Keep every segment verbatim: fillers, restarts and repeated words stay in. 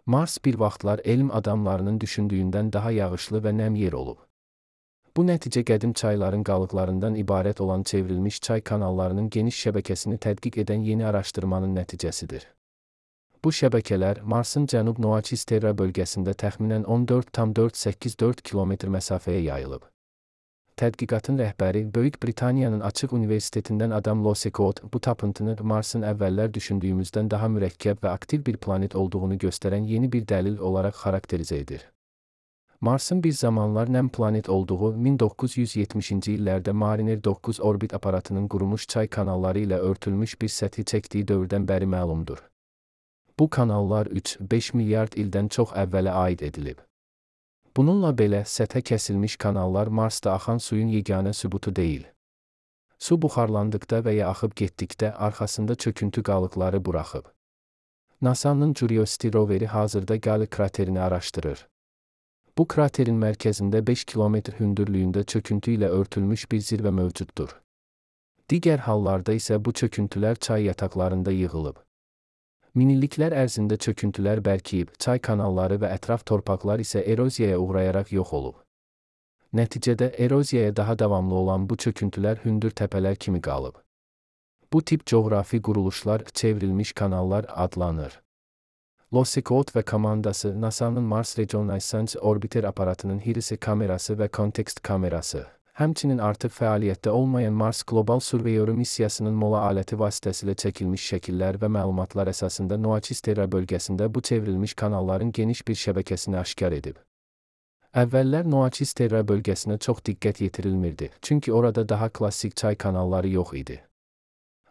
Mars bir vaxtlar elm adamlarının düşündüyündən daha yağışlı və nəm yer olub. Bu nəticə qədim çayların qalıqlarından ibarət olan çevrilmiş çay kanallarının geniş şəbəkəsini tədqiq edən yeni araşdırmanın nəticəsidir. Bu şəbəkələr Marsın Cənub Noaçiz Terra bölgəsində təxminən on dörd tam dörd səkkiz dörd kilometr məsafəyə yayılıb. Tədqiqatın rəhbəri Böyük Britaniyanın Açıq Universitetindən Adam Losecott bu tapıntını Marsın əvvəllər düşündüyümüzdən daha mürəkkəb və aktiv bir planet olduğunu göstərən yeni bir dəlil olaraq xarakterizə edir. Marsın bir zamanlar nəm planet olduğu min doqquz yüz yetmişinci illərdə Mariner doqquz orbit aparatının qurumuş çay kanalları ilə örtülmüş bir səthi çəkdiyi dövrdən bəri məlumdur. Bu kanallar üç beş milyard ildən çox əvvələ aid edilib. Bununla belə səthə kəsilmiş kanallar Marsda axan suyun yeganə sübutu deyil. Su buxarlandıqda və ya axıb getdikdə arxasında çöküntü qalıqları buraxıb. NASA'nın Curiosity roveri hazırda Gali kraterini araşdırır. Bu kraterin mərkəzində beş kilometr hündürlüyündə çöküntü ilə örtülmüş bir zirvə mövcuddur. Digər hallarda isə bu çöküntülər çay yataqlarında yığılıb. Minilliklər ərzində çöküntülər bərkiyib, çay kanalları və ətraf torpaqlar isə eroziyaya uğrayaraq yox olub. Nəticədə eroziyaya daha davamlı olan bu çöküntülər hündür təpələr kimi qalıb. Bu tip coğrafi quruluşlar çevrilmiş kanallar adlanır. Losecott və komandası NASA'nın Mars Reconnaissance Orbiter aparatının Hirisi kamerası və Context kamerası, həmçinin artıq fəaliyyətdə olmayan Mars Global Surveyor missiyasının mola aləti vasitəsilə çəkilmiş şəkillər və məlumatlar əsasında Noaçiz Terra bölgəsində bu çevrilmiş kanalların geniş bir şəbəkəsini aşkar edib. Əvvəllər Noaçiz Terra bölgəsinə çox diqqət yetirilmirdi, çünki orada daha klassik çay kanalları yox idi.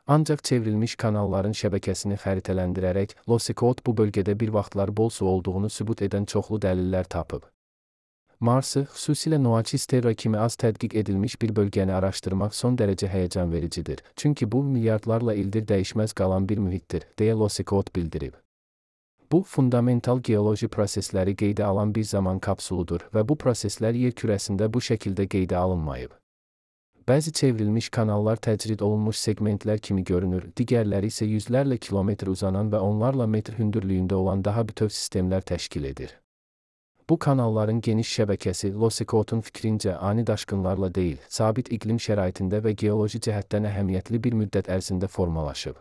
Ancaq çevrilmiş kanalların şəbəkəsini xəritələndirərək, Losecott bu bölgədə bir vaxtlar bol su olduğunu sübut edən çoxlu dəlillər tapıb. Marsı, xüsusilə Noaçiz Terra kimi az tədqiq edilmiş bir bölgəni araşdırmaq son dərəcə həyəcan vericidir, çünki bu milyardlarla ildir dəyişməz qalan bir mühitdir, deyə Losecott bildirib. Bu, fundamental geoloji prosesləri qeydə alan bir zaman kapsuludur və bu proseslər yer kürəsində bu şəkildə qeydə alınmayıb. Bəzi çevrilmiş kanallar təcrid olunmuş segmentlər kimi görünür, digərləri isə yüzlərlə kilometr uzanan və onlarla metr hündürlüyündə olan daha bütöv sistemlər təşkil edir. Bu kanalların geniş şəbəkəsi Losecott'un fikrincə ani daşqınlarla deyil, sabit iqlim şəraitində və geoloji cəhətdən əhəmiyyətli bir müddət ərzində formalaşıb.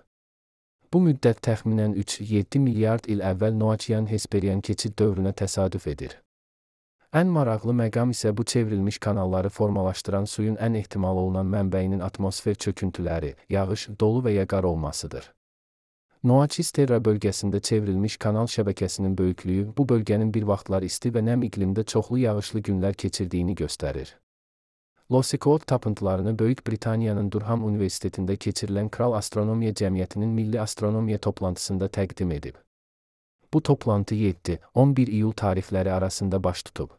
Bu müddət təxminən üç yeddi milyard il əvvəl Noachian-Hesperian keçid dövrünə təsadüf edir. Ən maraqlı məqam isə bu çevrilmiş kanalları formalaşdıran suyun ən ehtimal olunan mənbəyinin atmosfer çöküntüləri, yağış, dolu və ya qar olmasıdır. Noaçiz Terra bölgəsində çevrilmiş kanal şəbəkəsinin böyüklüyü bu bölgənin bir vaxtlar isti və nəm iqlimdə çoxlu yağışlı günlər keçirdiyini göstərir. Losecott tapıntılarını Böyük Britaniyanın Durham Universitetində keçirilən Kral Astronomiya Cəmiyyətinin Milli Astronomiya toplantısında təqdim edib. Bu toplantı yeddi on bir iyul tarixləri arasında baş tutub.